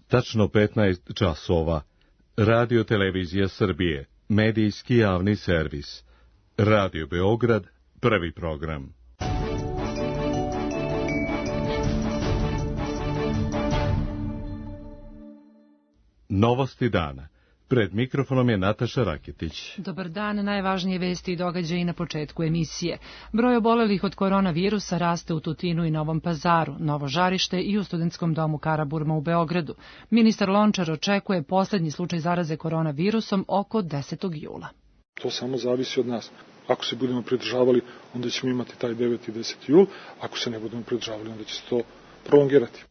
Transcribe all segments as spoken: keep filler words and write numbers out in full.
Tačno petnaest časova. Radio Televizija Srbije, medijski javni servis. Radio Beograd, prvi program. Novosti dana. Pred mikrofonom je Nataša Raketić. Dobar dan, najvažnije vesti i događaji na početku emisije. Broj obolelih od koronavirusa raste u Tutinu i Novom Pazaru, Novo Žarište i u Studentskom domu Karaburma u Beogradu. Ministar Lončar očekuje poslednji slučaj zaraze koronavirusom oko desetog jula. To samo zavisi od nas. Ako se budemo pridržavali, onda ćemo imati taj deveti i deseti jul. Ako se ne budemo pridržavali, onda će se to prolongirati.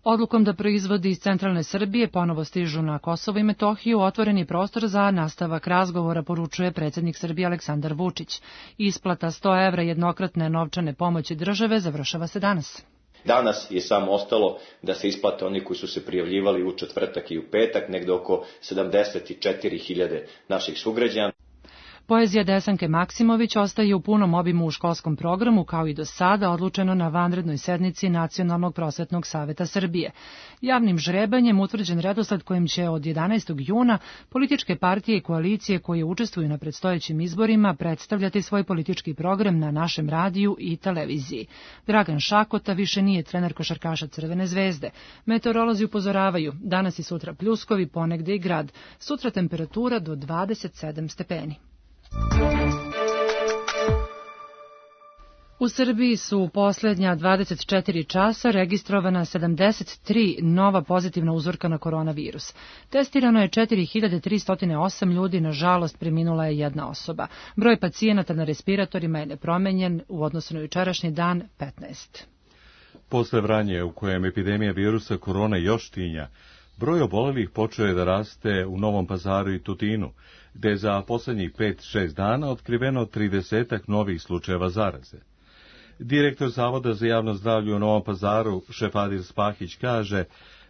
Odlukom da proizvodi iz centralne Srbije ponovo stižu na Kosovo i Metohiju otvoreni prostor za nastavak razgovora, poručuje predsjednik Srbije Aleksandar Vučić. Isplata sto evra jednokratne novčane pomoći države završava se danas. Danas je samo ostalo da se isplate oni koji su se prijavljivali u četvrtak i u petak, negde oko sedamdeset četiri hiljade naših sugrađana. Poezija Desanke Maksimović ostaje u punom obimu u školskom programu, kao i do sada odlučeno na vanrednoj sednici Nacionalnog prosvetnog saveta Srbije. Javnim žrebanjem utvrđen redosled kojim će od jedanaestog juna političke partije i koalicije koje učestvuju na predstojećim izborima predstavljati svoj politički program na našem radiju i televiziji. Dragan Šakota više nije trener košarkaša Crvene zvezde. Meteorolozi upozoravaju, danas i sutra pljuskovi, ponegde i grad. Sutra temperatura do dvadeset sedam stepeni. U Srbiji su u posljednja dvadeset četiri časa registrovana sedamdeset tri nova pozitivna uzorka na koronavirus. Testirano je četiri hiljade tristo osam ljudi, nažalost preminula je jedna osoba. Broj pacijenata na respiratorima je nepromenjen u odnosu na jučerašnji dan petnaest. Posle Vranje, u kojem epidemija virusa korona još tinja, broj obolelih počeo je da raste u Novom Pazaru i Tutinu, gde je za poslednjih pet šest dana otkriveno tridesetak novih slučajeva zaraze. Direktor Zavoda za javno zdravlje u Novom Pazaru, Šefadir Spahić, kaže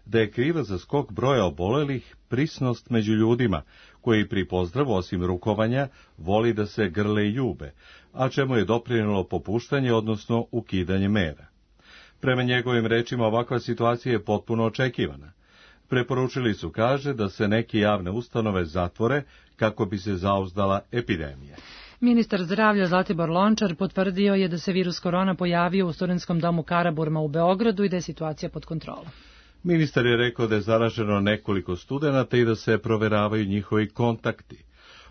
da je kriva za skok broja obolelih prisnost među ljudima, koji pri pozdravu, osim rukovanja, voli da se grle i ljube, a čemu je doprinelo popuštanje, odnosno ukidanje mera. Prema njegovim rečima, ovakva situacija je potpuno očekivana. Preporučili su, kaže, da se neke javne ustanove zatvore kako bi se zauzdala epidemija. Ministar zdravlja Zlatibor Lončar potvrdio je da se virus korona pojavio u Studentskom domu Karaburma u Beogradu i da je situacija pod kontrolom. Ministar je rekao da je zaraženo nekoliko studenata i da se proveravaju njihovi kontakti.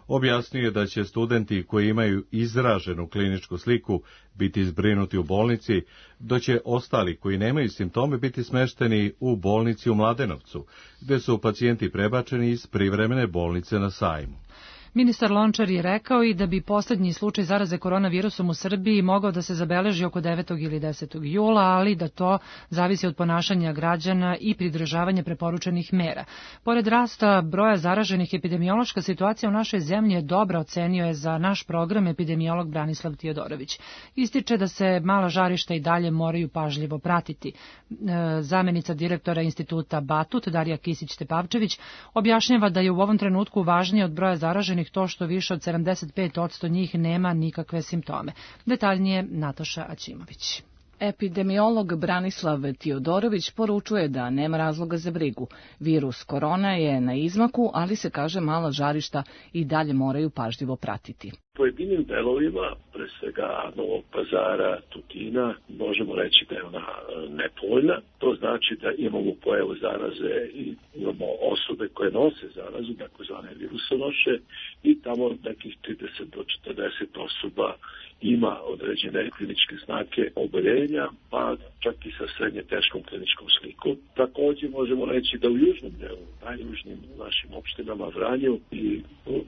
Objasnio je da će studenti koji imaju izraženu kliničku sliku biti zbrinuti u bolnici, dok će ostali koji nemaju simptome biti smešteni u bolnici u Mladenovcu, gde su pacijenti prebačeni iz privremene bolnice na Sajmu. Ministar Lončar je rekao i da bi poslednji slučaj zaraze koronavirusom u Srbiji mogao da se zabeleži oko devetog ili desetog jula, ali da to zavisi od ponašanja građana i pridržavanja preporučenih mera. Pored rasta broja zaraženih, epidemiološka situacija u našoj zemlji je dobra, ocenio je za naš program epidemiolog Branislav Tijodorović. Ističe da se mala žarišta i dalje moraju pažljivo pratiti. Zamenica direktora instituta Batut, Darija Kisić-Tepavčević, objašnjava da je u ovom trenutku važnije od broja zaraženih to što više od sedamdeset pet posto njih nema nikakve simptome. Detaljnije Nataša Aćimović. Epidemiolog Branislav Tijodorović poručuje da nema razloga za brigu. Virus korona je na izmaku, ali se kaže mala žarišta i dalje moraju pažljivo pratiti. Pojedinim delovima, pre svega Novog Pazara, Tutina, možemo reći da je ona nepovoljna. To znači da imamo pojavu zaraze i imamo osobe koje nose zarazu, takozvane virusonoše, i tamo nekih trideset do četrdeset osoba ima određene kliničke znake oboljenja, pa čak i sa srednje teškom kliničkom slikom. Također možemo reći da u južnom delu, najjužnim našim opštinama Vranju i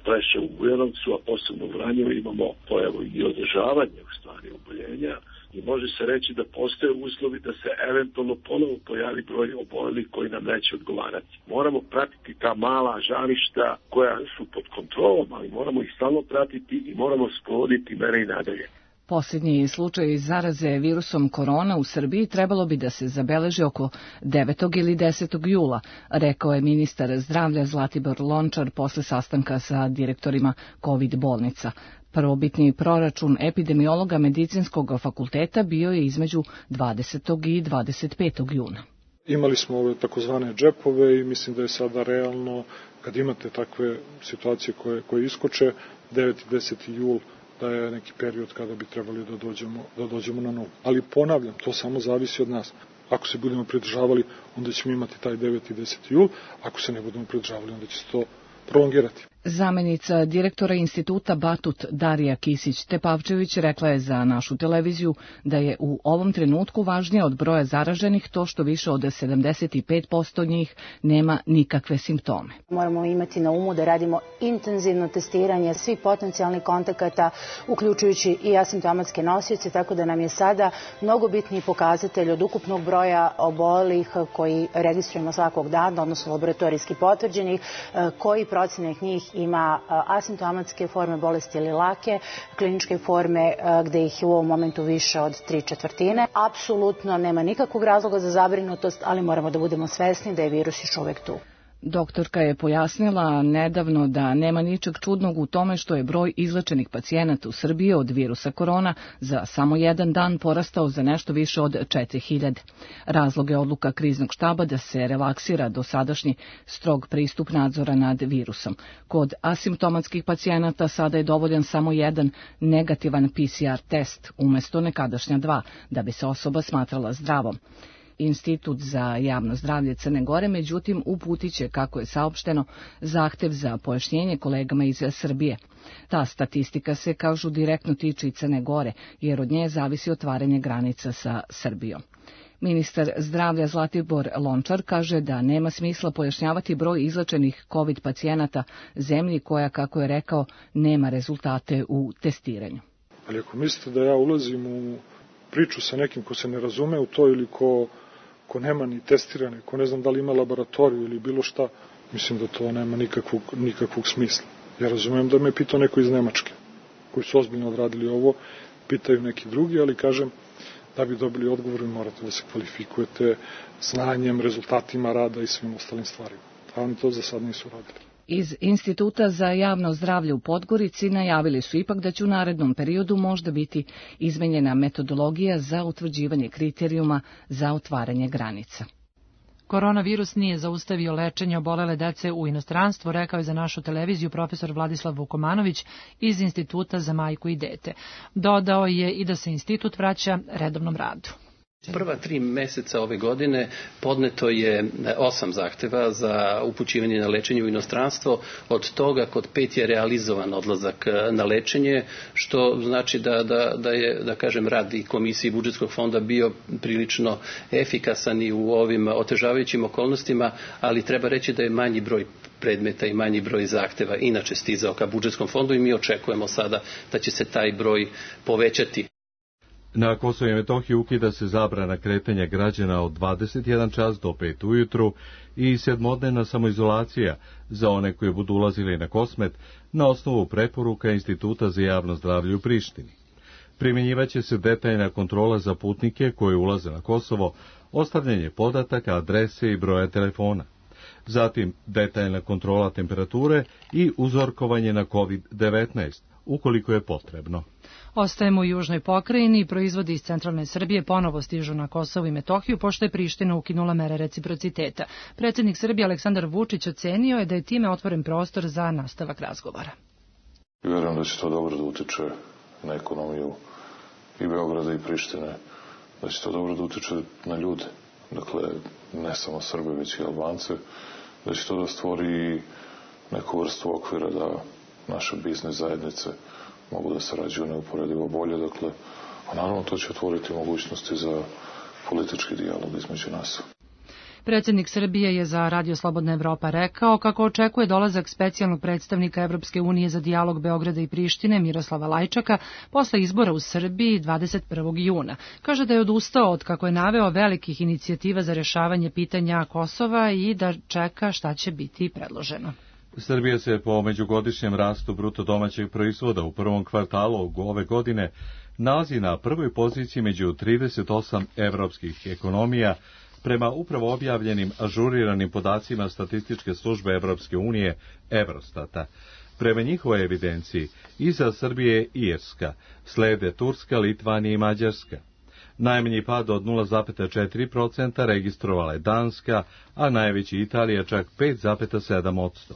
Preševu, Bujanovcu, a posebno u Vranju imamo pojavu i održavanje u stvari oboljenja i može se reći da postoje uslovi da se eventualno ponovo pojavi broj obolelih koji nam neće odgovarati. Moramo pratiti ta mala žarišta koja su pod kontrolom, ali moramo ih stalno pratiti i moramo sprovoditi mere i nadalje. Posljednji slučaj zaraze virusom korona u Srbiji trebalo bi da se zabeleži oko devetog ili desetog jula, rekao je ministar zdravlja Zlatibor Lončar posle sastanka sa direktorima COVID bolnica. Prvobitni proračun epidemiologa Medicinskog fakulteta bio je između dvadesetog i dvadeset petog juna. Imali smo ove takozvane džepove i mislim da je sada realno, kad imate takve situacije koje, koje iskoče, deveti i deseti jul da je neki period kada bi trebali da dođemo, da dođemo na novu. Ali ponavljam, to samo zavisi od nas. Ako se budemo pridržavali, onda ćemo imati taj deveti i deseti jul, ako se ne budemo pridržavali, onda će se to prolongirati. Zamenica direktora instituta Batut Darija Kisić-Tepavčević rekla je za našu televiziju da je u ovom trenutku važnije od broja zaraženih to što više od sedamdeset pet posto njih nema nikakve simptome. Moramo imati na umu da radimo intenzivno testiranje svih potencijalnih kontakata, uključujući i asimptomatske nosioce, tako da nam je sada mnogo bitniji pokazatelj od ukupnog broja obolelih koji registrujemo svakog dana, odnosno laboratorijski potvrđenih, koji procenak njih ima asimptomatske forme bolesti ili lake, kliničke forme gde ih je u ovom momentu više od tri četvrtine. Apsolutno nema nikakvog razloga za zabrinutost, ali moramo da budemo svesni da je virus još uvek tu. Doktorka je pojasnila nedavno da nema ničeg čudnog u tome što je broj izlečenih pacijenata u Srbiji od virusa korona za samo jedan dan porastao za nešto više od četiri hiljade. Razlog je odluka kriznog štaba da se relaksira dosadašnji strog pristup nadzora nad virusom. Kod asimptomatskih pacijenata sada je dovoljan samo jedan negativan P C R test umesto nekadašnja dva, da bi se osoba smatrala zdravom. Institut za javno zdravlje Crne Gore, međutim, uputiće, kako je saopšteno, zahtev za pojašnjenje kolegama iz Srbije. Ta statistika se, kažu, direktno tiče i Crne Gore, jer od nje zavisi otvaranje granica sa Srbijom. Ministar zdravlja Zlatibor Lončar kaže da nema smisla pojašnjavati broj izlečenih COVID pacijenata zemlji koja, kako je rekao, nema rezultate u testiranju. Ali ako mislite da ja ulazim u priču sa nekim ko se ne razume u to ili ko ko nema ni testirane, ko ne znam da li ima laboratoriju ili bilo šta, mislim da to nema nikakvog, nikakvog smisla. Ja razumem da me pitao neko iz Nemačke, koji su ozbiljno odradili ovo, pitaju neki drugi, ali kažem, da bi dobili odgovor, morate da se kvalifikujete znanjem, rezultatima rada i svim ostalim stvarima. A oni to za sad nisu radili. Iz Instituta za javno zdravlje u Podgorici najavili su ipak da će u narednom periodu možda biti izmenjena metodologija za utvrđivanje kriterijuma za otvaranje granica. Koronavirus nije zaustavio lečenje obolele dece u inostranstvu, rekao je za našu televiziju profesor Vladislav Vukomanović iz Instituta za majku i dete. Dodao je i da se institut vraća redovnom radu. Prva tri meseca ove godine podneto je osam zahteva za upućivanje na lečenje u inostranstvo, od toga kod pet je realizovan odlazak na lečenje, što znači da, da, da je, da kažem, rad i komisije budžetskog fonda bio prilično efikasan i u ovim otežavajućim okolnostima, ali treba reći da je manji broj predmeta i manji broj zahteva inače stizao ka budžetskom fondu i mi očekujemo sada da će se taj broj povećati. Na Kosovu i Metohiji ukida se zabrana kretanja građana od dvadeset jedan čas do pet ujutru i sedmodnevna samoizolacija za one koji budu ulazili na Kosmet na osnovu preporuka Instituta za javno zdravlje u Prištini. Primjenjivaće se detaljna kontrola za putnike koji ulaze na Kosovo, ostavljanje podataka, adrese i broja telefona. Zatim detaljna kontrola temperature i uzorkovanje na kovid devetnaest, ukoliko je potrebno. Ostajemo u južnoj pokrajini i proizvodi iz centralne Srbije ponovo stižu na Kosovo i Metohiju, pošto je Priština ukinula mere reciprociteta. Predsjednik Srbije Aleksandar Vučić ocenio je da je time otvoren prostor za nastavak razgovora. Vjerujem da će to dobro da utiče na ekonomiju i Beograda i Prištine, da će to dobro da utiče na ljude, dakle ne samo Srbe, već i Albance, da će to da stvori neku vrstu okvira da naše biznis zajednice mogu da sarađuju neuporedivo bolje, dakle, a naravno to će otvoriti mogućnosti za politički dijalog između nas. Predsjednik Srbije je za Radio Slobodna Evropa rekao kako očekuje dolazak specijalnog predstavnika Evropske unije za dijalog Beograda i Prištine Miroslava Lajčaka posle izbora u Srbiji dvadeset prvog juna. Kaže da je odustao od, kako je naveo, velikih inicijativa za rješavanje pitanja Kosova i da čeka šta će biti predloženo. Srbija se po međugodišnjem rastu bruto domaćeg proizvoda u prvom kvartalu ove godine nalazi na prvoj poziciji među trideset osam evropskih ekonomija, prema upravo objavljenim ažuriranim podacima statističke službe Evropske unije Eurostata. Prema njihovoj evidenciji, iza Srbije i Irska, slede Turska, Litvanija i Mađarska. Najmanji pad od nula zarez četiri procenta registrovala je Danska, a najveći Italija čak pet zarez sedam posto.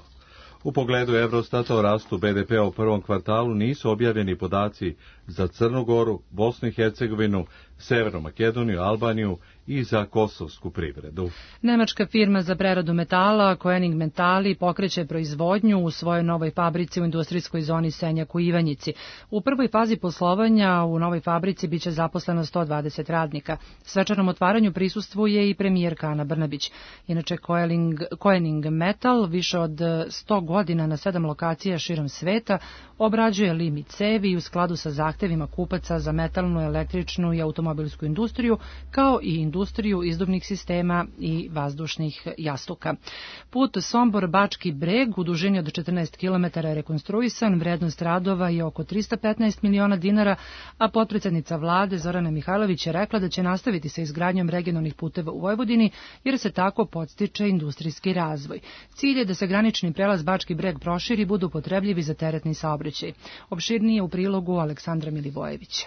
U pogledu Eurostata o rastu be de pea u prvom kvartalu nisu objavljeni podaci za Crnu Goru, Bosnu i Hercegovinu, Severnu Makedoniju, Albaniju i za kosovsku privredu. Nemačka firma za preradu metala, Koenig Metali, pokreće proizvodnju u svojoj novoj fabrici u industrijskoj zoni Senjak u Ivanjici. U prvoj fazi poslovanja u novoj fabrici biće zaposleno sto dvadeset radnika. Svečanom otvaranju prisustvuje i premijerka Ana Brnabić. Inače, Koenig Metal više od sto godina na sedam lokacija širom sveta obrađuje lim i cevi u skladu sa zahtevima kupaca za metalnu, električnu i automobilsku industriju, kao i industriju izduvnih sistema i vazdušnih jastuka. Put Sombor-Bački Breg u dužini od četrnaest kilometara je rekonstruisan, vrednost radova je oko trista petnaest miliona dinara, a potpredsednica vlade Zorana Mihajlović je rekla da će nastaviti sa izgradnjom regionalnih puteva u Vojvodini, jer se tako podstiče industrijski razvoj. Cilj je da se granični prelaz Bački Breg proširi i budu potrebljivi za teretni saobraćaj. Opširnije u prilogu Aleksandra Milivojevića.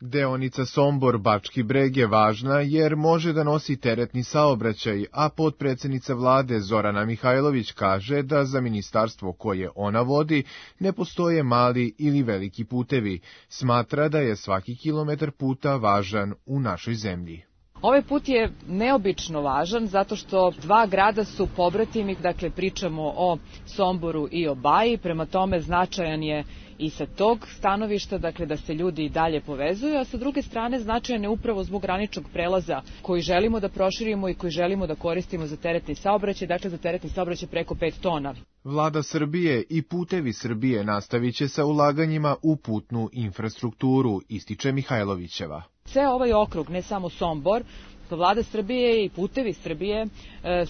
Deonica Sombor-Bački Breg je važna jer može da nosi teretni saobraćaj, a potpredsednica vlade Zorana Mihajlović kaže da za ministarstvo koje ona vodi ne postoje mali ili veliki putevi. Smatra da je svaki kilometar puta važan u našoj zemlji. Ovaj put je neobično važan zato što dva grada su pobratimi, dakle pričamo o Somboru i o Baji, prema tome značajan je i sa tog stanovišta, dakle da se ljudi i dalje povezuju, a sa druge strane značajan je upravo zbog graničnog prelaza koji želimo da proširimo i koji želimo da koristimo za teretni saobraćaj, dakle za teretni saobraćaj preko pet tona. Vlada Srbije i Putevi Srbije nastavit će sa ulaganjima u putnu infrastrukturu, ističe Mihajlovićeva. Ceo ovaj okrug, ne samo Sombor, Vlada Srbije i Putevi Srbije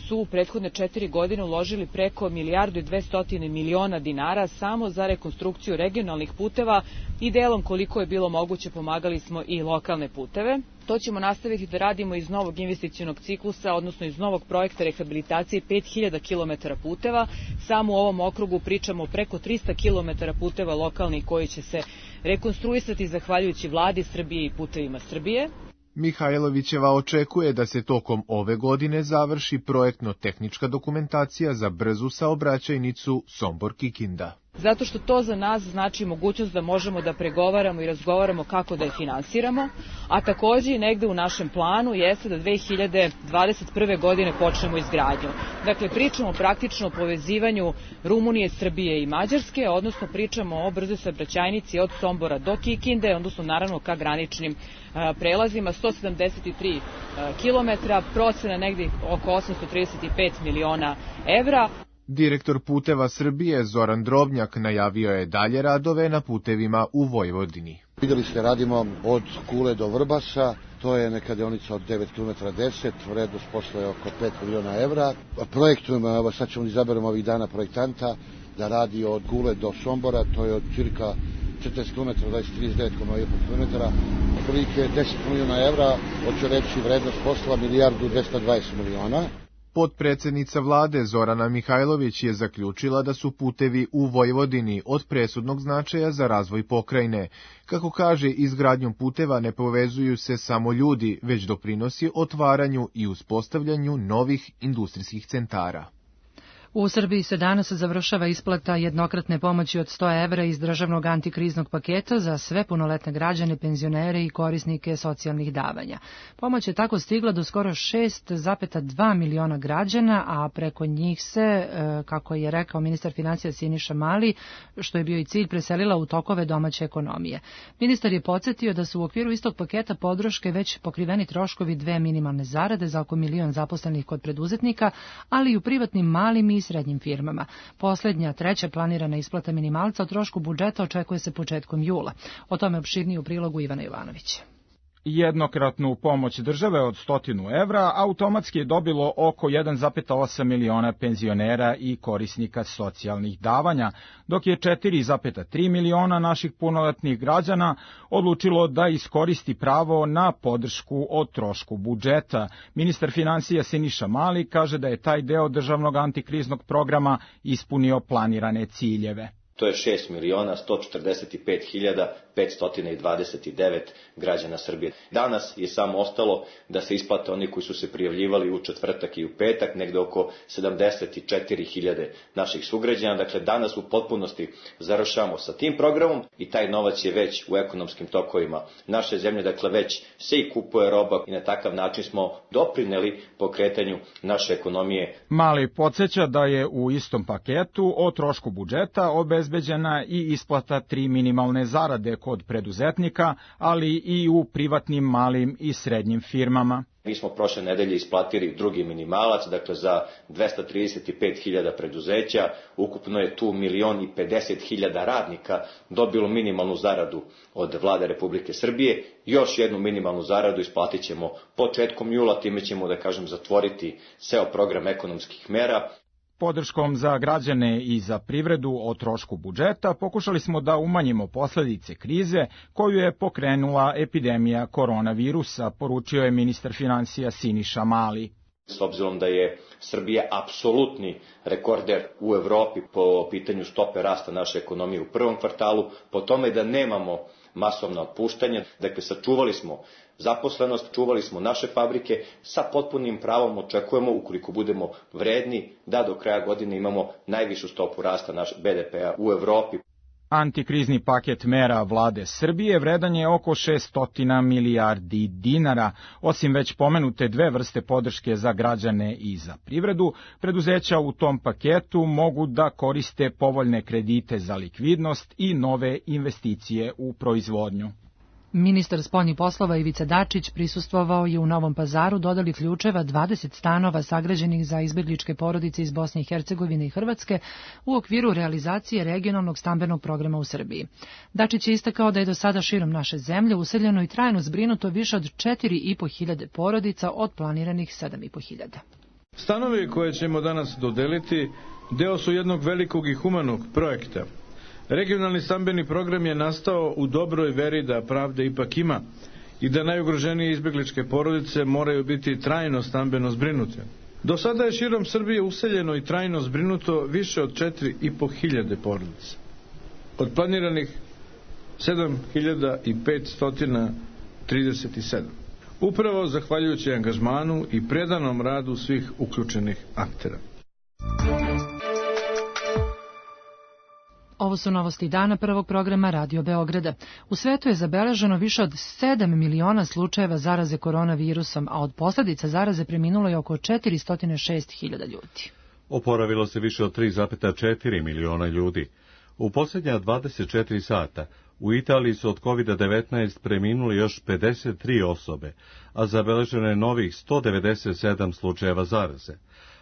su u prethodne četiri godine uložili preko milijardu i dvestotine miliona dinara samo za rekonstrukciju regionalnih puteva i delom koliko je bilo moguće pomagali smo i lokalne puteve. To ćemo nastaviti da radimo iz novog investicionog ciklusa, odnosno iz novog projekta rehabilitacije pet hiljada kilometara puteva. Samo u ovom okrugu pričamo preko trista kilometara puteva lokalnih koji će se rekonstruisati zahvaljujući Vladi Srbije i Putevima Srbije. Mihajlovićeva očekuje da se tokom ove godine završi projektno-tehnička dokumentacija za brzu saobraćajnicu Sombor-Kikinda. Zato što to za nas znači mogućnost da možemo da pregovaramo i razgovaramo kako da je finansiramo, a takođe i negde u našem planu jeste da dve hiljade dvadeset prve. godine počnemo izgradnju. Dakle, pričamo praktično o povezivanju Rumunije, Srbije i Mađarske, odnosno pričamo o brzoj saobraćajnici od Sombora do Kikinde, odnosno naravno ka graničnim a, prelazima, sto sedamdeset tri kilometra, procena negde oko osamsto trideset pet miliona evra. Direktor Puteva Srbije Zoran Drobnjak najavio je dalje radove na putevima u Vojvodini. Videli ste, radimo od Kule do Vrbasa, to je neka deonica od devet kilometara deset, vrednost posla je oko pet miliona evra. Projektujemo, sad ćemo izaberemo ovih dana projektanta da radi od Kule do Sombora, to je od cirka četrdeset kilometara, dvadeset trideset devet zarez jedan kilometara, otprilike deset miliona evra, hoću reći vrednost posla milijardu dvesta dvadeset miliona. Potpredsednica vlade Zorana Mihajlović je zaključila da su putevi u Vojvodini od presudnog značaja za razvoj pokrajine. Kako kaže, izgradnjom puteva ne povezuju se samo ljudi, već doprinosi otvaranju i uspostavljanju novih industrijskih centara. U Srbiji se danas završava isplata jednokratne pomoći od sto evra iz državnog antikriznog paketa za sve punoletne građane, penzionere i korisnike socijalnih davanja. Pomoć je tako stigla do skoro šest zarez dva miliona građana, a preko njih se, kako je rekao ministar financija Siniša Mali, što je bio i cilj, preselila u tokove domaće ekonomije. Ministar je podsjetio da su u okviru istog paketa podrške već pokriveni troškovi dve minimalne zarade za oko milion zaposlenih kod preduzetnika, ali i u privatnim malim i srednjim firmama. Poslednja, treća planirana isplata minimalca o trošku budžeta očekuje se početkom jula. O tome opširnije u prilogu Ivana Jovanovića. Jednokratnu pomoć države od stotinu evra automatski je dobilo oko jedan zarez osam miliona penzionera i korisnika socijalnih davanja, dok je četiri zarez tri miliona naših punoletnih građana odlučilo da iskoristi pravo na podršku o trošku budžeta. Ministar financija Siniša Mali kaže da je taj deo državnog antikriznog programa ispunio planirane ciljeve. to je šest miliona sto četrdeset pet hiljada petsto dvadeset devet građana Srbije. Danas je samo ostalo da se isplate oni koji su se prijavljivali u četvrtak i u petak, negde oko sedamdeset četiri hiljade naših sugrađana. Dakle, danas u potpunosti završamo sa tim programom i taj novac je već u ekonomskim tokovima naše zemlje, dakle već se i kupuje roba i na takav način smo doprineli pokretanju naše ekonomije. Mali podsjeća da je u istom paketu o trošku budžeta obezbeđena i isplata tri minimalne zarade kod preduzetnika, ali i u privatnim malim i srednjim firmama. Mi smo prošle nedelje isplatili drugi minimalac, dakle za dvesta trideset pet hiljada preduzeća, ukupno je tu milion i pedeset hiljada radnika dobilo minimalnu zaradu od vlade Republike Srbije. Još jednu minimalnu zaradu isplatit ćemo početkom jula, time ćemo, da kažem, zatvoriti ceo program ekonomskih mera. Podrškom za građane i za privredu o trošku budžeta pokušali smo da umanjimo posledice krize koju je pokrenula epidemija koronavirusa, poručio je ministar finansija Siniša Mali. S obzirom da je Srbija apsolutni rekorder u Evropi po pitanju stope rasta naše ekonomije u prvom kvartalu, po tome da nemamo masovna otpuštanja, dakle sačuvali smo zaposlenost, čuvali smo naše fabrike, sa potpunim pravom očekujemo, ukoliko budemo vredni, da do kraja godine imamo najvišu stopu rasta naš be de pe-a u Evropi. Antikrizni paket mera vlade Srbije vredan je oko šesto milijardi dinara. Osim već pomenute dve vrste podrške za građane i za privredu, preduzeća u tom paketu mogu da koriste povoljne kredite za likvidnost i nove investicije u proizvodnju. Ministar spoljnih poslova Ivica Dačić prisustvovao je u Novom Pazaru dodali ključeva dvadeset stanova sagrađenih za izbegličke porodice iz Bosne i Hercegovine i Hrvatske u okviru realizacije regionalnog stambenog programa u Srbiji. Dačić je istakao da je do sada širom naše zemlje useljeno i trajno zbrinuto više od četiri i po hiljade porodica od planiranih sedam i po hiljada. Stanovi koje ćemo danas dodeliti deo su jednog velikog i humanog projekta. Regionalni stambeni program je nastao u dobroj veri da pravde ipak ima i da najugroženije izbegličke porodice moraju biti trajno stambeno zbrinute. Do sada je širom Srbije useljeno i trajno zbrinuto više od četiri i po hiljade porodica. Od planiranih sedam hiljada petsto trideset sedam. Upravo zahvaljujući angažmanu i predanom radu svih uključenih aktera. Ovo su novosti dana prvog programa Radio Beograda. U svetu je zabeleženo više od sedam miliona slučajeva zaraze koronavirusom, a od posljedica zaraze preminulo je oko četiristo šest hiljada ljudi. Oporavilo se više od tri zarez četiri miliona ljudi. U posljednja dvadeset četiri sata u Italiji su od kovid devetnaest preminuli još pedeset tri osobe, a zabeleženo je novih sto devedeset sedam slučajeva zaraze.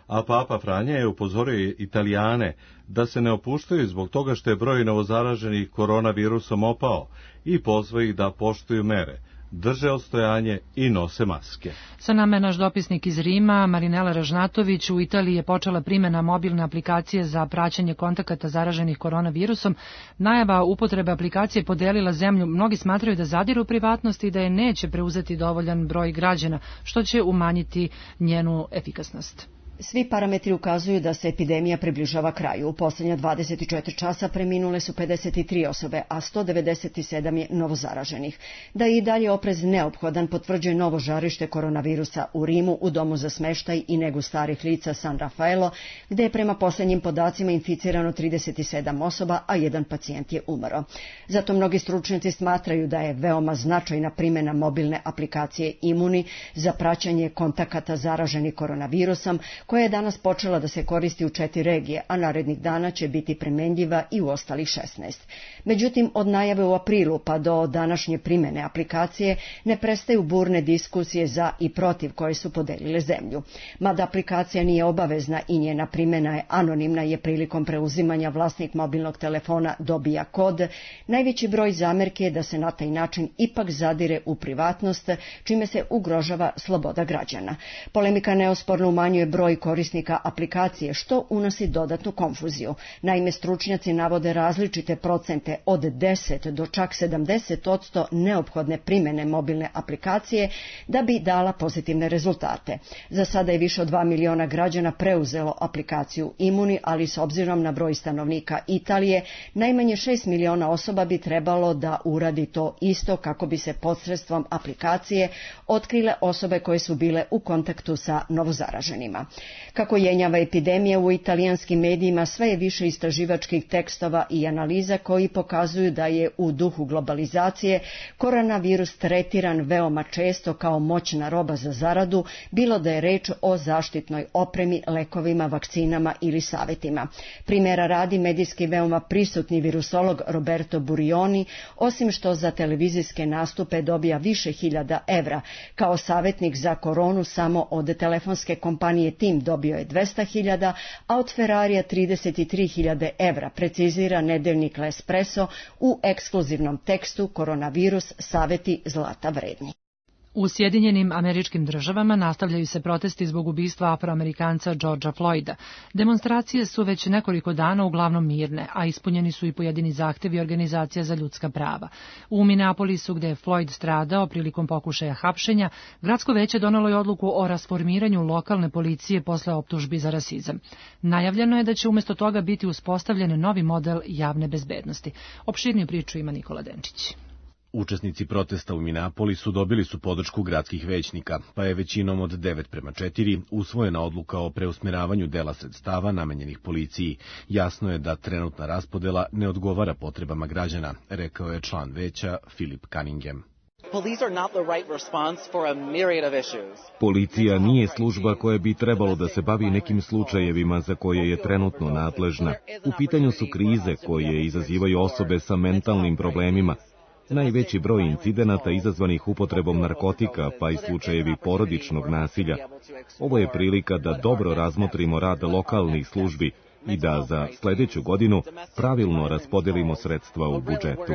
A Papa Franja je upozorio Italijane da se ne opuštaju zbog toga što je broj novozaraženih koronavirusom opao i pozvao ih da poštuju mere, drže odstojanje i nose maske. Sa nama je naš dopisnik iz Rima, Marinela Ražnatović. U Italiji je počela primjena mobilne aplikacije za praćenje kontakata zaraženih koronavirusom. Najava upotrebe aplikacije podelila zemlju. Mnogi smatraju da zadiru u privatnost i da je neće preuzeti dovoljan broj građana, što će umanjiti njenu efikasnost. Svi parametri ukazuju da se epidemija približava kraju. U posljednja dvadeset četiri časa preminule su pedeset tri osobe, a sto devedeset sedam je novozaraženih. Da je i dalje oprez neophodan potvrđuje novo žarište koronavirusa u Rimu u domu za smeštaj i negu starih lica San Rafaelo, gde je prema posljednjim podacima inficirano trideset sedam osoba, a jedan pacijent je umro. Zato mnogi stručnjaci smatraju da je veoma značajna primjena mobilne aplikacije Imuni za praćenje kontakata zaraženih koronavirusom, koja je danas počela da se koristi u četiri regije, a narednih dana će biti primenljiva i u ostalih šesnaest. Međutim, od najave u aprilu pa do današnje primjene aplikacije ne prestaju burne diskusije za i protiv koje su podelile zemlju. Mada aplikacija nije obavezna i njena primjena je anonimna, je prilikom preuzimanja vlasnik mobilnog telefona dobija kod, najveći broj zamerke je da se na taj način ipak zadire u privatnost, čime se ugrožava sloboda građana. Polemika neosporno umanjuje broj korisnika aplikacije, što unosi dodatnu konfuziju. Naime, stručnjaci navode različite procente od deset do čak sedamdeset posto neophodne primjene mobilne aplikacije da bi dala pozitivne rezultate. Za sada je više od dva miliona građana preuzelo aplikaciju Imuni, ali s obzirom na broj stanovnika Italije, najmanje šest miliona osoba bi trebalo da uradi to isto kako bi se posredstvom aplikacije otkrile osobe koje su bile u kontaktu sa novozaraženima. Kako jenjava epidemija u italijanskim medijima, sve je više istraživačkih tekstova i analiza koji pokazuju da je u duhu globalizacije koronavirus tretiran veoma često kao moćna roba za zaradu, bilo da je reč o zaštitnoj opremi, lekovima, vakcinama ili savetima. Primjera radi, medijski veoma prisutni virusolog Roberto Burioni, osim što za televizijske nastupe dobija više hiljada evra, kao savjetnik za koronu samo od telefonske kompanije Tim dobio je dvesta hiljada, a od Ferrarija trideset tri hiljade evra, precizira nedeljnik L'Espresso u ekskluzivnom tekstu Koronavirus, saveti zlata vredni. U Sjedinjenim Američkim Državama nastavljaju se protesti zbog ubistva afroamerikanca Georgea Floyda. Demonstracije su već nekoliko dana uglavnom mirne, a ispunjeni su i pojedini zahtevi organizacija za ljudska prava. U Minneapolisu, gde je Floyd stradao prilikom pokušaja hapšenja, gradsko veće donelo je odluku o rasformiranju lokalne policije posle optužbi za rasizam. Najavljeno je da će umjesto toga biti uspostavljen novi model javne bezbednosti. Opširniju priču ima Nikola Denčić. Učesnici protesta u Minneapolisu dobili su podršku gradskih većnika, pa je većinom od devet prema četiri usvojena odluka o preusmjeravanju dela sredstava namenjenih policiji. Jasno je da trenutna raspodela ne odgovara potrebama građana, rekao je član veća Philip Cunningham. Policija nije služba koja bi trebalo da se bavi nekim slučajevima za koje je trenutno nadležna. U pitanju su krize koje izazivaju osobe sa mentalnim problemima. Najveći broj incidenata izazvanih upotrebom narkotika, pa i slučajevi porodičnog nasilja. Ovo je prilika da dobro razmotrimo rad lokalnih službi i da za sljedeću godinu pravilno raspodelimo sredstva u budžetu.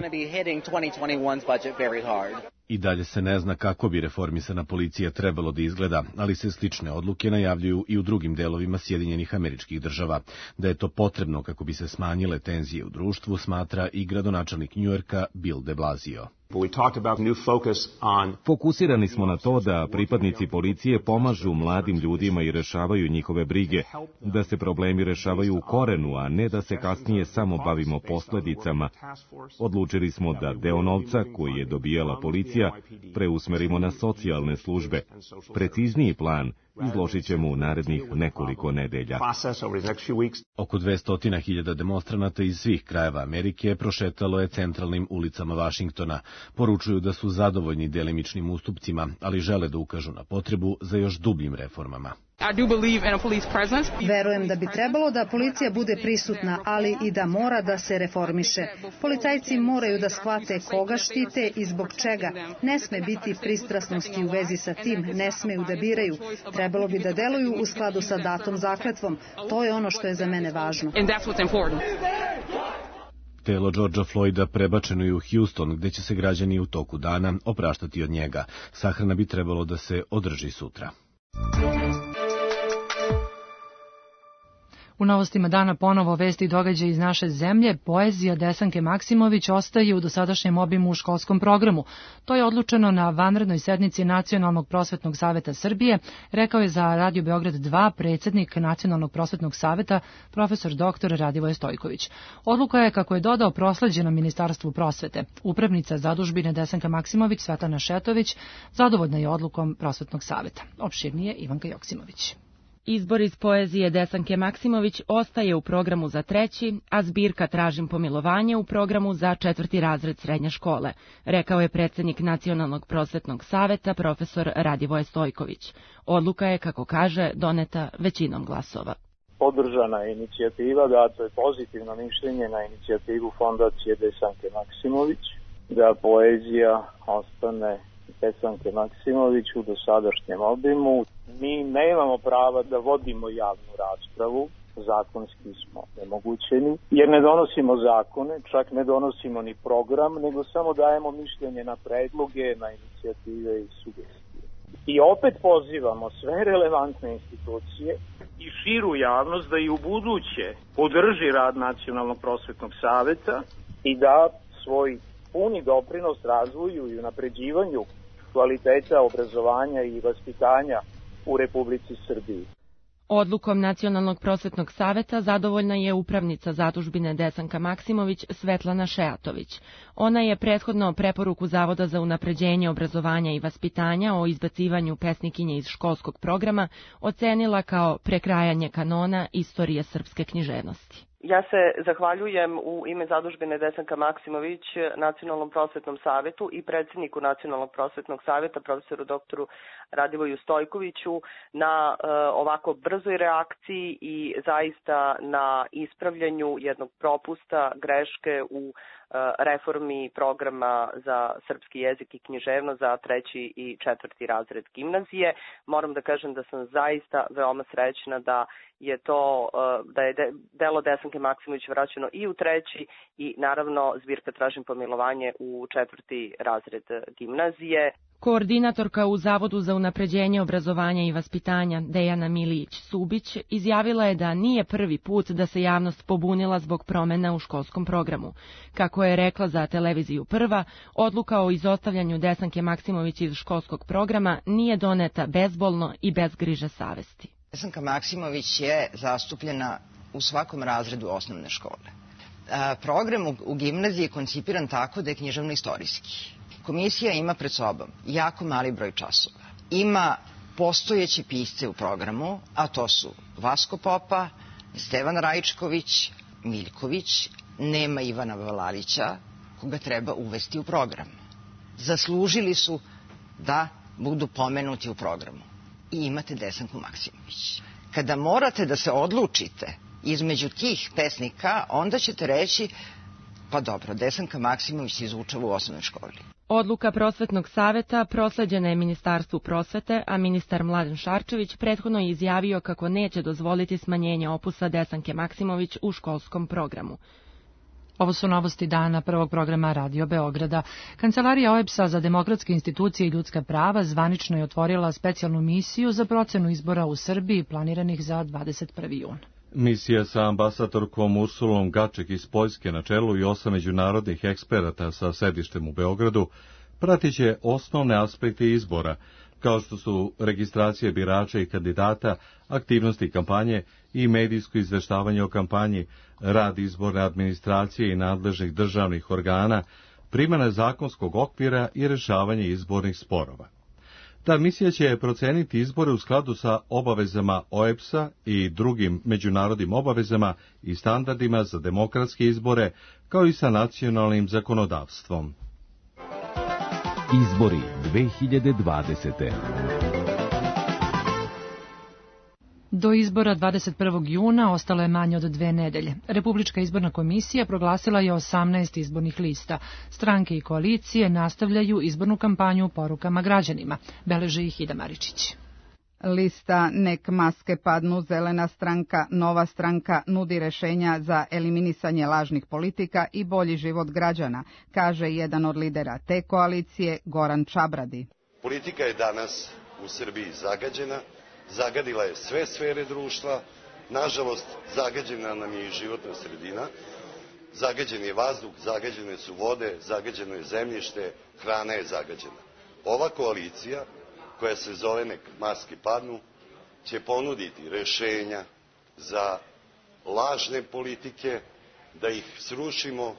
I dalje se ne zna kako bi reformisana policija trebalo da izgleda, ali se slične odluke najavljuju i u drugim delovima Sjedinjenih Američkih Država. Da je to potrebno kako bi se smanjile tenzije u društvu, smatra i gradonačelnik Njujorka Bill de Blasio. Fokusirani smo na to da pripadnici policije pomažu mladim ljudima i rešavaju njihove brige, da se problemi rešavaju u korenu, a ne da se kasnije samo bavimo posledicama. Odlučili smo da deo novca koji je dobijala policija preusmerimo na socijalne službe. Precizniji plan izložit ćemo u narednih nekoliko nedelja. Oko dvesta hiljada demonstranata iz svih krajeva Amerike prošetalo je centralnim ulicama Vašingtona. Poručuju da su zadovoljni delimičnim ustupcima, ali žele da ukažu na potrebu za još dubljim reformama. Verujem da bi trebalo da policija bude prisutna, ali i da mora da se reformiše. Policajci moraju da shvate koga štite i zbog čega. Ne sme biti pristrasnosti u vezi sa tim, ne smeju da biraju. Trebalo bi da deluju u skladu sa datom zakletvom. To je ono što je za mene važno. Telo Georgea Floyda prebačeno je u Houston, gde će se građani u toku dana opraštati od njega. Sahrana bi trebalo da se održi sutra. U novostima dana ponovo vesti i događaje iz naše zemlje. Poezija Desanke Maksimović ostaje u dosadašnjem obimu u školskom programu. To je odlučeno na vanrednoj sednici Nacionalnog prosvetnog saveta Srbije, rekao je za Radio Beograd dva predsjednik Nacionalnog prosvetnog saveta, profesor doktor Radivoje Stojković. Odluka je, kako je dodao, prosleđena Ministarstvu prosvete. Upravnica zadužbine Desanka Maksimović, Svetlana Šetović, zadovoljna je odlukom prosvetnog saveta. Opširnije Ivanka Joksimović. Izbor iz poezije Desanke Maksimović ostaje u programu za treći, a zbirka Tražim pomilovanje u programu za četvrti razred srednje škole, rekao je predsjednik Nacionalnog prosvetnog saveta profesor Radivoje Stojković. Odluka je, kako kaže, doneta većinom glasova. Podržana je inicijativa, dato je pozitivno mišljenje na inicijativu Fondacije Desanke Maksimović, da poezija ostane Desanke Maksimović u dosadašnjem obimu. Mi nemamo prava da vodimo javnu raspravu, zakonski smo nemogućeni, jer ne donosimo zakone, čak ne donosimo ni program, nego samo dajemo mišljenje na predloge, na inicijative i sugestije. I opet pozivamo sve relevantne institucije i širu javnost da i u buduće podrži rad Nacionalnog prosvetnog saveta i da svoj puni doprinos razvoju i unapređivanju kvaliteta obrazovanja i vaspitanja u Republici Srbiji. Odlukom Nacionalnog prosvetnog saveta zadovoljna je upravnica zadužbine Desanka Maksimović Svetlana Šeatović. Ona je prethodno preporuku Zavoda za unapređenje obrazovanja i vaspitanja o izbacivanju pesnikinje iz školskog programa ocenila kao prekrajanje kanona istorije srpske književnosti. Ja se zahvaljujem u ime zadužbine Desanka Maksimović Nacionalnom prosvetnom savetu i predsjedniku Nacionalnog prosvetnog saveta profesoru doktoru Radivoju Stojkoviću na uh, ovako brzoj reakciji i zaista na ispravljanju jednog propusta, greške u uh, reformi programa za srpski jezik i književnost za treći i četvrti razred gimnazije. Moram da kažem da sam zaista veoma srećna da je to, da je delo Desanke Maksimović vraćeno i u treći i naravno zbirka Tražim pomilovanje u četvrti razred gimnazije. Koordinatorka u Zavodu za unapređenje obrazovanja i vaspitanja Dejana Milijić-Subić izjavila je da nije prvi put da se javnost pobunila zbog promena u školskom programu. Kako je rekla za televiziju Prva, odluka o izostavljanju Desanke Maksimović iz školskog programa nije doneta bezbolno i bez griže savesti. Desanka Maksimović je zastupljena u svakom razredu osnovne škole. Program u gimnaziji je koncipiran tako da je književno-istorijski. Komisija ima pred sobom jako mali broj časova. Ima postojeće pisce u programu, a to su Vasko Popa, Stevan Rajčković, Miljković, nema Ivana Valalića, koga treba uvesti u program. Zaslužili su da budu pomenuti u programu. I imate Desanku Maksimović. Kada morate da se odlučite između tih pesnika, onda ćete reći, pa dobro, Desanka Maksimović se izučava u osnovnoj školi. Odluka prosvetnog saveta prosleđena je Ministarstvu prosvete, a ministar Mladen Šarčević prethodno je izjavio kako neće dozvoliti smanjenje opusa Desanke Maksimović u školskom programu. Ovo su novosti dana prvog programa Radio Beograda. Kancelarija O E B S-a za demokratske institucije i ljudska prava zvanično je otvorila specijalnu misiju za procenu izbora u Srbiji planiranih za dvadeset prvi jun. Misija sa ambasadorkom Ursulom Gaček iz Poljske na čelu i osam međunarodnih eksperata sa sedištem u Beogradu pratit će osnovne aspekte izbora, kao što su registracije birača i kandidata, aktivnosti kampanje i medijsko izveštavanje o kampanji, rad izborne administracije i nadležnih državnih organa, primjena zakonskog okvira i rješavanje izbornih sporova. Ta misija će proceniti izbore u skladu sa obavezama O E B S-a i drugim međunarodnim obavezama i standardima za demokratske izbore, kao i sa nacionalnim zakonodavstvom. Izbori dve hiljade dvadesete. Do izbora dvadeset prvog juna ostalo je manje od dve nedelje. Republička izborna komisija proglasila je osamnaest izbornih lista. Stranke i koalicije nastavljaju izbornu kampanju porukama građanima. Beleže ih Ida Maričić. Lista Nek maske padnu, Zelena stranka, Nova stranka nudi rešenja za eliminisanje lažnih politika i bolji život građana, kaže jedan od lidera te koalicije, Goran Čabradi. Politika je danas u Srbiji zagađena, zagadila je sve sfere društva, nažalost zagađena nam je i životna sredina, zagađen je vazduh, zagađene su vode, zagađeno je zemljište, hrana je zagađena. Ova koalicija, koja se zove Nek maske padnu, će ponuditi rešenja za lažne politike, da ih srušimo,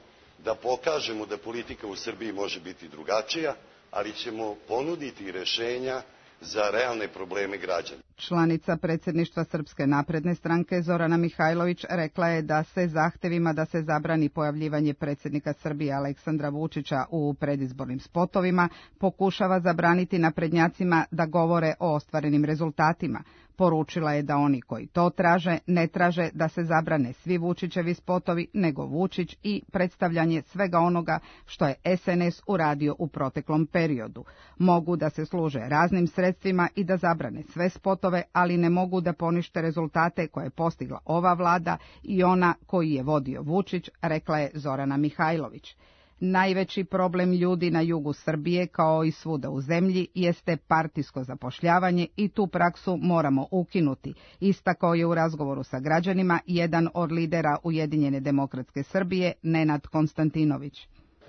da pokažemo da politika u Srbiji može biti drugačija, ali ćemo ponuditi rešenja za realne probleme građana. Članica predsjedništva Srpske napredne stranke Zorana Mihajlović rekla je da se zahtevima da se zabrani pojavljivanje predsjednika Srbije Aleksandra Vučića u predizbornim spotovima pokušava zabraniti naprednjacima da govore o ostvarenim rezultatima. Poručila je da oni koji to traže ne traže da se zabrane svi Vučićevi spotovi, nego Vučić i predstavljanje svega onoga što je S N S uradio u proteklom periodu. Mogu da se služe raznim sredstvima i da zabrane sve spotove, ali ne mogu da ponište rezultate koje je postigla ova vlada i ona koji je vodio Vučić, rekla je Zorana Mihajlović. Najveći problem ljudi na jugu Srbije, kao i svuda u zemlji, jeste partijsko zapošljavanje i tu praksu moramo ukinuti, istakao je u razgovoru sa građanima jedan od lidera Ujedinjene demokratske Srbije, Nenad Konstantinović.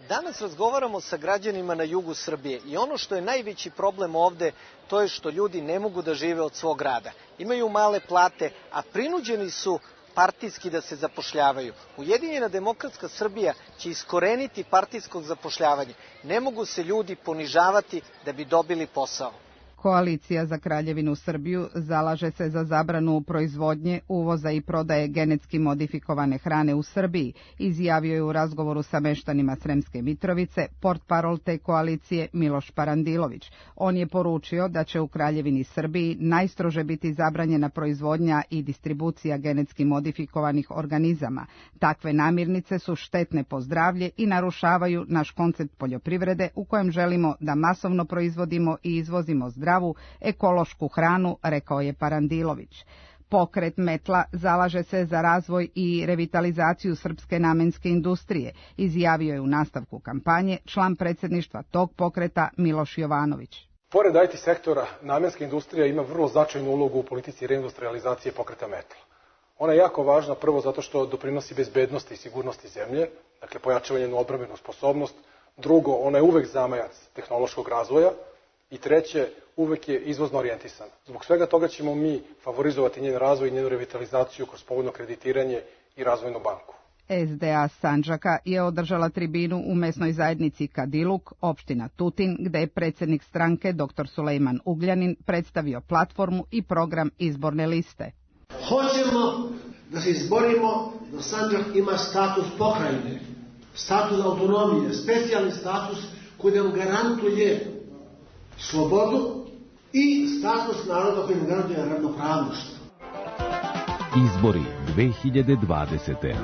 Danas razgovaramo sa građanima na jugu Srbije i ono što je najveći problem ovde, to je što ljudi ne mogu da žive od svog rada. Imaju male plate, a prinuđeni su partijski da se zapošljavaju. Ujedinjena demokratska Srbija će iskoreniti partijskog zapošljavanja. Ne mogu se ljudi ponižavati da bi dobili posao. Koalicija za Kraljevinu Srbiju zalaže se za zabranu proizvodnje, uvoza i prodaje genetski modifikovane hrane u Srbiji, izjavio je u razgovoru sa meštanima Sremske Mitrovice portparol te koalicije Miloš Parandilović. On je poručio da će u Kraljevini Srbiji najstrože biti zabranjena proizvodnja i distribucija genetski modifikovanih organizama. Takve namirnice su štetne po zdravlje i narušavaju naš koncept poljoprivrede u kojem želimo da masovno proizvodimo i izvozimo zdravu ekološku hranu, rekao je Parandilović. Pokret Metla zalaže se za razvoj i revitalizaciju srpske namenske industrije, izjavio je u nastavku kampanje član predsjedništva tog pokreta Miloš Jovanović. Pored I T sektora, namenska industrija ima vrlo značajnu ulogu u politici reindustrializacije pokreta Metla. Ona je jako važna prvo zato što doprinosi bezbednosti i sigurnosti zemlje, dakle pojačava njenu odbrambenu sposobnost, drugo, ona je uvek zamajac tehnološkog razvoja, i treće, uvek je izvozno orijentisana. Zbog svega toga ćemo mi favorizovati njen razvoj i njenu revitalizaciju kroz povoljno kreditiranje i razvojnu banku. S D A Sandžaka je održala tribinu u mesnoj zajednici Kadiluk, opština Tutin, gde je predsjednik stranke doktor Sulejman Ugljanin predstavio platformu i program izborne liste. Hoćemo da se izborimo da Sandžak ima status pokrajine, status autonomije, specijalni status koji nam garantuje slobodu i status naroda koji nam garantuje ravnopravnost. Izbori dve hiljade dvadesete.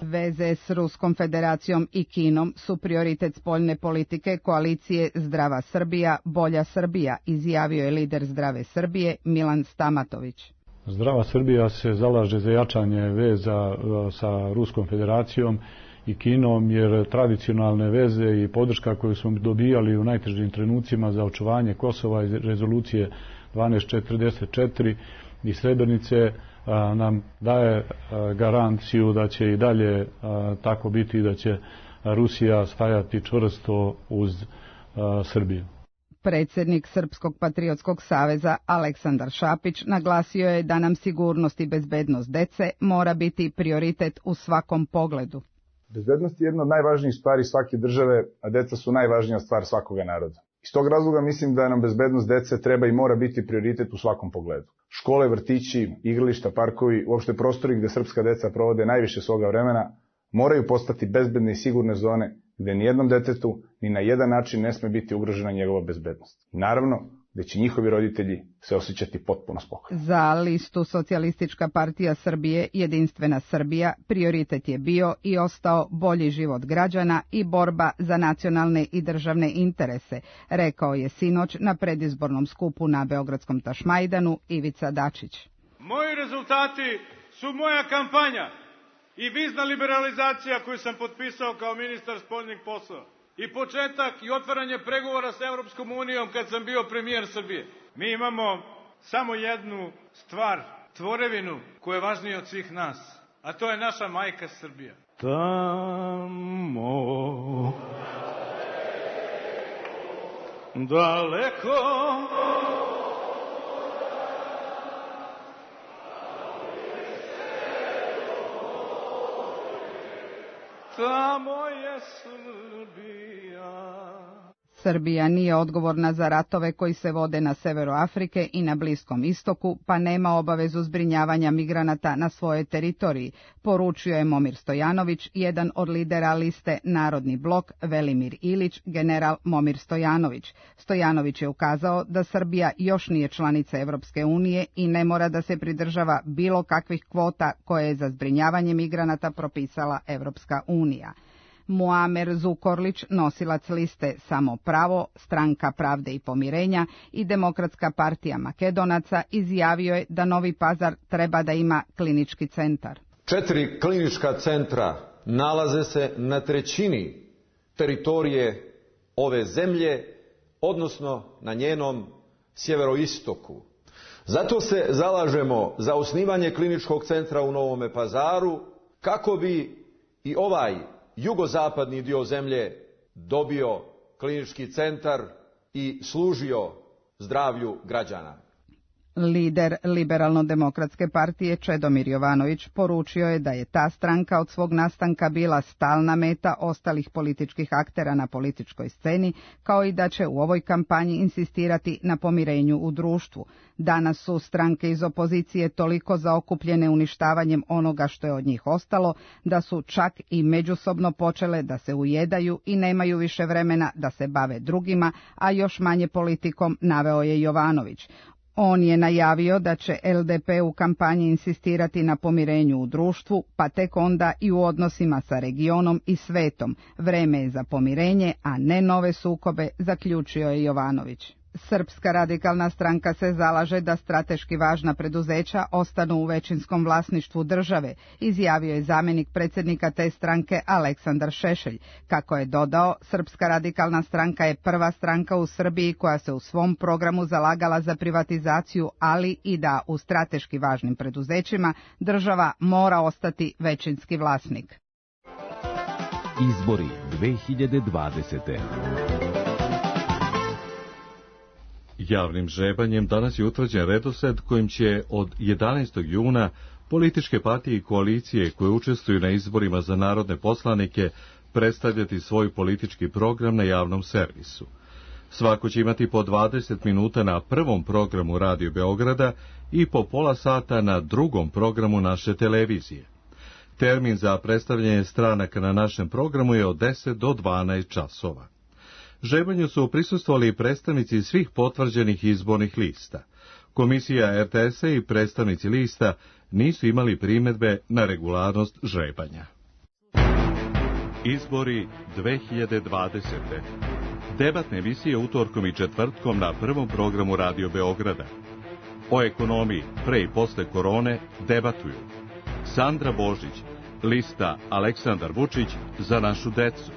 Veze s Ruskom federacijom i Kinom su prioritet spoljne politike koalicije Zdrava Srbija, Bolja Srbija, izjavio je lider Zdrave Srbije Milan Stamatović. Zdrava Srbija se zalaže za jačanje veza sa Ruskom federacijom i Kinom, jer tradicionalne veze i podrška koju smo dobijali u najtežim trenucima za očuvanje Kosova iz rezolucije dvanaest četrdeset četiri i Srebrenice a, nam daje a, garanciju da će i dalje a, tako biti, da će Rusija stajati čvrsto uz a, Srbiju. Predsjednik Srpskog patriotskog saveza Aleksandar Šapić naglasio je da nam sigurnost i bezbednost dece mora biti prioritet u svakom pogledu. Bezbednost je jedna od najvažnijih stvari svake države, a deca su najvažnija stvar svakoga naroda. Iz tog razloga mislim da nam bezbednost dece treba i mora biti prioritet u svakom pogledu. Škole, vrtići, igrališta, parkovi, uopšte prostori gde srpska deca provode najviše svoga vremena, moraju postati bezbedne i sigurne zone gde nijednom detetu ni na jedan način ne sme biti ugrožena njegova bezbednost. Naravno, gde će njihovi roditelji se osjećati potpuno spokojno. Za listu Socijalistička partija Srbije, Jedinstvena Srbija, prioritet je bio i ostao bolji život građana i borba za nacionalne i državne interese, rekao je sinoć na predizbornom skupu na Beogradskom Tašmajdanu Ivica Dačić. Moji rezultati su moja kampanja i vizna liberalizacija koju sam potpisao kao ministar spoljnih poslova. I početak i otvaranje pregovora sa Evropskom unijom kad sam bio premijer Srbije. Mi imamo samo jednu stvar, tvorevinu koja je važnija od svih nas, a to je naša majka Srbija. Tamo daleko tamo je Srbija. Srbija nije odgovorna za ratove koji se vode na severu Afrike i na Bliskom istoku, pa nema obavezu zbrinjavanja migranata na svojoj teritoriji, poručio je Momir Stojanović, jedan od lidera liste Narodni blok Velimir Ilić, general Momir Stojanović. Stojanović je ukazao da Srbija još nije članica Evropske unije i ne mora da se pridržava bilo kakvih kvota koje je za zbrinjavanje migranata propisala Evropska unija. Muamer Zukorlić, nosilac liste Samo pravo, Stranka pravde i pomirenja i Demokratska partija Makedonaca, izjavio je da Novi Pazar treba da ima klinički centar. Četiri klinička centra nalaze se na trećini teritorije ove zemlje, odnosno na njenom sjeveroistoku. Zato se zalažemo za osnivanje kliničkog centra u Novome Pazaru, kako bi i ovaj jugozapadni dio zemlje dobio klinički centar i služio zdravlju građana. Lider Liberalno-demokratske partije Čedomir Jovanović poručio je da je ta stranka od svog nastanka bila stalna meta ostalih političkih aktera na političkoj sceni, kao i da će u ovoj kampanji insistirati na pomirenju u društvu. Danas su stranke iz opozicije toliko zaokupljene uništavanjem onoga što je od njih ostalo, da su čak i međusobno počele da se ujedaju i nemaju više vremena da se bave drugima, a još manje politikom, naveo je Jovanović. On je najavio da će L D P u kampanji insistirati na pomirenju u društvu, pa tek onda i u odnosima sa regionom i svetom. Vreme je za pomirenje, a ne nove sukobe, zaključio je Jovanović. Srpska radikalna stranka se zalaže da strateški važna preduzeća ostanu u većinskom vlasništvu države, izjavio je zamjenik predsjednika te stranke Aleksandar Šešelj. Kako je dodao, Srpska radikalna stranka je prva stranka u Srbiji koja se u svom programu zalagala za privatizaciju, ali i da u strateški važnim preduzećima država mora ostati većinski vlasnik. Izbori dve hiljade dvadesete. Javnim žrebanjem danas je utvrđen redosled kojim će od jedanaestog juna političke partije i koalicije koje učestvuju na izborima za narodne poslanike predstavljati svoj politički program na javnom servisu. Svako će imati po dvadeset minuta na prvom programu Radio Beograda i po pola sata na drugom programu naše televizije. Termin za predstavljanje stranaka na našem programu je od deset do dvanaest časova. Žrebanju su prisustvovali predstavnici svih potvrđenih izbornih lista. Komisija R T S-a i predstavnici lista nisu imali primedbe na regularnost žrebanja. Izbori dve hiljade dvadesete. Debatne emisije utorkom i četvrtkom na prvom programu Radio Beograda. O ekonomiji pre i posle korone debatuju Sandra Božić, lista Aleksandar Vučić za našu decu.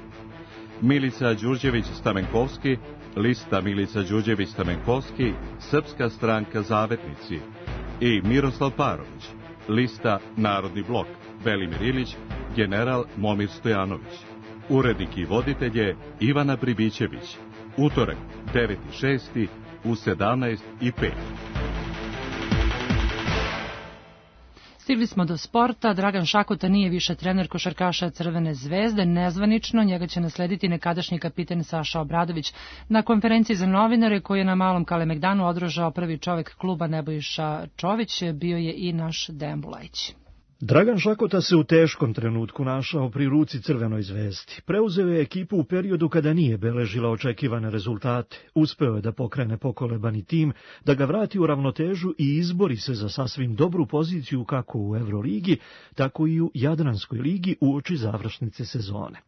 Milica Đurđević-Stamenkovski, lista Milica Đurđević-Stamenkovski, Srpska stranka Zavetnici, i Miroslav Parović, lista Narodni blok, Velimir Ilić, general Momir Stojanović. Urednik i voditelj je Ivana Pribićević. Utorak, deveti šesti u sedamnaest i pet. Stigli smo do sporta. Dragan Šakota nije više trener košarkaša Crvene zvezde. Nezvanično njega će naslediti nekadašnji kapiten Saša Obradović. Na konferenciji za novinare koju je na Malom Kalemegdanu održao prvi čovek kluba Nebojša Čović bio je i naš Dejan Bulajić. Dragan Šakota se u teškom trenutku našao pri ruci Crvenoj zvezdi. Preuzeo je ekipu u periodu kada nije beležila očekivane rezultate. Uspeo je da pokrene pokolebani tim, da ga vrati u ravnotežu i izbori se za sasvim dobru poziciju kako u Euroligi, tako i u Jadranskoj ligi uoči završnice sezone.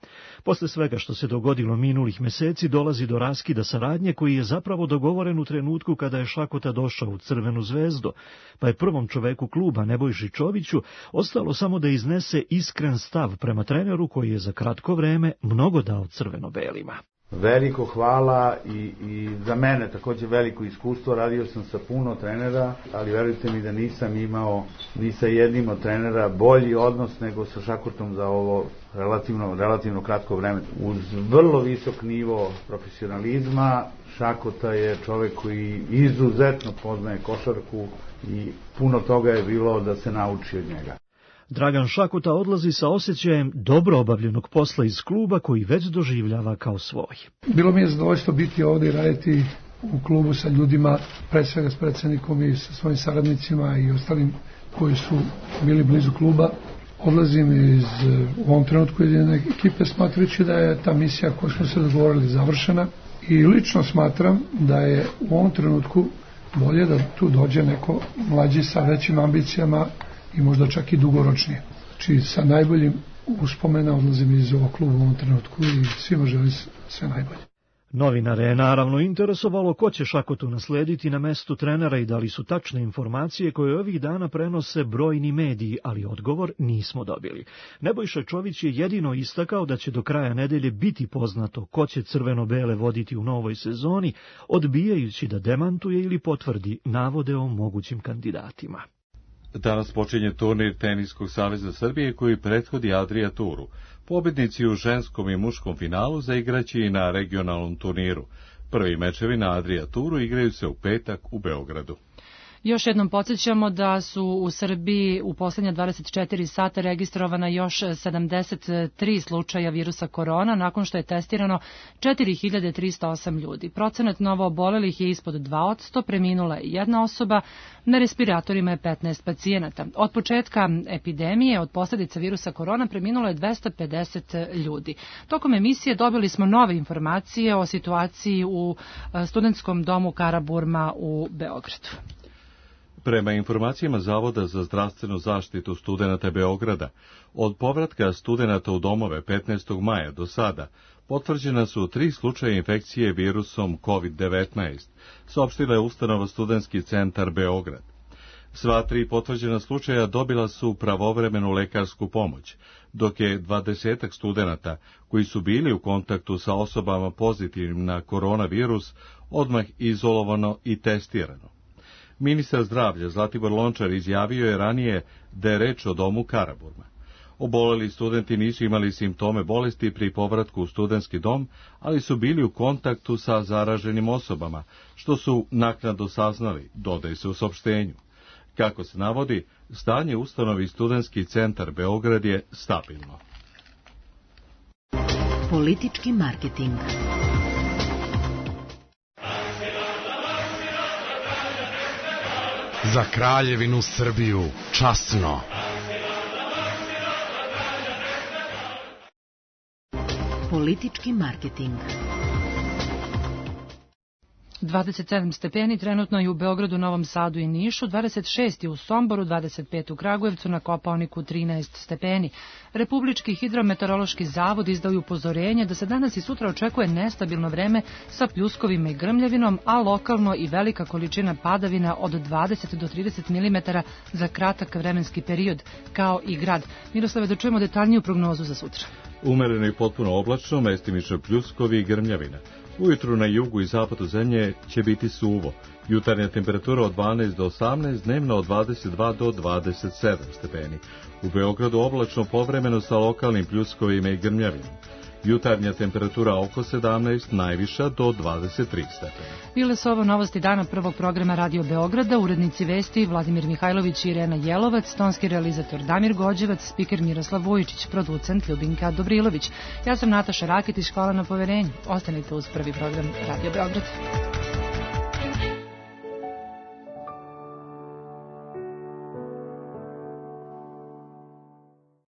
Posle svega što se dogodilo minulih meseci dolazi do raskida saradnje koji je zapravo dogovoren u trenutku kada je Šakota došao u Crvenu zvezdu, pa je prvom čoveku kluba Nebojši Čoviću ostalo samo da iznese iskren stav prema treneru koji je za kratko vreme mnogo dao crveno-belima. Veliko hvala i, i za mene takođe veliko iskustvo. Radio sam sa puno trenera, ali verujte mi da nisam imao ni sa jednim od trenera bolji odnos nego sa Šakotom za ovo relativno, relativno kratko vreme. Uz vrlo visok nivo profesionalizma, Šakota je čovek koji izuzetno poznaje košarku i puno toga je bilo da se nauči od njega. Dragan Šakota odlazi sa osjećajem dobro obavljenog posla iz kluba koji već doživljava kao svoj. Bilo mi je zadovoljstvo biti ovde i raditi u klubu sa ljudima, pre svega s predsjednikom i sa svojim saradnicima i ostalim koji su bili blizu kluba. Odlazim iz u ovom trenutku jedine ekipe smatrajući da je ta misija koju smo se dogovorili završena i lično smatram da je u ovom trenutku bolje da tu dođe neko mlađi sa većim ambicijama i možda čak i dugoročnije. Znači sa najboljim uspomena odlazim iz ovog kluba u ovom trenutku i svima želim sve najbolje. Novinare je naravno interesovalo ko će Šakotu naslediti na mestu trenera i da li su tačne informacije koje ovih dana prenose brojni mediji, ali odgovor nismo dobili. Nebojša Čović je jedino istakao da će do kraja nedelje biti poznato ko će crveno-bele voditi u novoj sezoni, odbijajući da demantuje ili potvrdi navode o mogućim kandidatima. Danas počinje turnir Teniskog saveza Srbije koji prethodi Adria Turu. Pobednici u ženskom i muškom finalu zaigraće i na regionalnom turniru. Prvi mečevi na Adria Turu igraju se u petak u Beogradu. Još jednom podsjećamo da su u Srbiji u poslednja dvadeset četiri sata registrovana još sedamdeset tri slučaja virusa korona, nakon što je testirano četiri hiljade trista osam ljudi. Procenat novo obolelih je ispod dva posto, preminula je jedna osoba, na respiratorima je petnaest pacijenata. Od početka epidemije, od posljedica virusa korona, preminulo je dvesta pedeset ljudi. Tokom emisije dobili smo nove informacije o situaciji u studentskom domu Karaburma u Beogradu. Prema informacijama Zavoda za zdravstvenu zaštitu studenata Beograda, od povratka studenata u domove petnaestog maja do sada potvrđena su tri slučaja infekcije virusom kovid devetnaest, saopštila je ustanova Studentski centar Beograd. Sva tri potvrđena slučaja dobila su pravovremenu lekarsku pomoć, dok je dvadesetak studenata koji su bili u kontaktu sa osobama pozitivnim na koronavirus odmah izolovano i testirano. Ministar zdravlja Zlatibor Lončar izjavio je ranije da je reč o domu Karaburma. Oboleli studenti nisu imali simptome bolesti pri povratku u studentski dom, ali su bili u kontaktu sa zaraženim osobama, što su naknadno saznali, dodaje se u saopštenju. Kako se navodi, stanje ustanovi Studentski centar Beograd je stabilno. Politički marketing. Za Kraljevinu Srbiju, časno. Politički marketing. dvadeset sedam stepeni trenutno je u Beogradu, Novom Sadu i Nišu, dvadeset šest je u Somboru, dvadeset pet u Kragujevcu, na Kopaoniku trinaest stepeni. Republički hidrometeorološki zavod izdao je upozorenje da se danas i sutra očekuje nestabilno vreme sa pljuskovima i grmljavinom, a lokalno i velika količina padavina od dvadeset do trideset milimetara za kratak vremenski period, kao i grad. Miroslave, da čujemo detaljniju prognozu za sutra. Umereno i potpuno oblačno, mestimično pljuskovi i grmljavina. Ujutru na jugu i zapadu zemlje će biti suvo. Jutarnja temperatura od dvanaest do osamnaest, dnevno od dvadeset dva do dvadeset sedam stepeni. U Beogradu oblačno povremeno sa lokalnim pljuskovima i grmljavinom. Jutarnja temperatura oko sedamnaest, najviša do dvadeset tri stepena. Bile su ovo novosti dana prvog programa Radio Beograda, urednici vesti Vladimir Mihajlović i Irena Jelovac, tonski realizator Damir Gođevac, spiker Miroslav Vujičić, producent Ljubinka Dobrilović. Ja sam Nataša Raketić, hvala na poverenju. Ostanite uz prvi program Radio Beograd.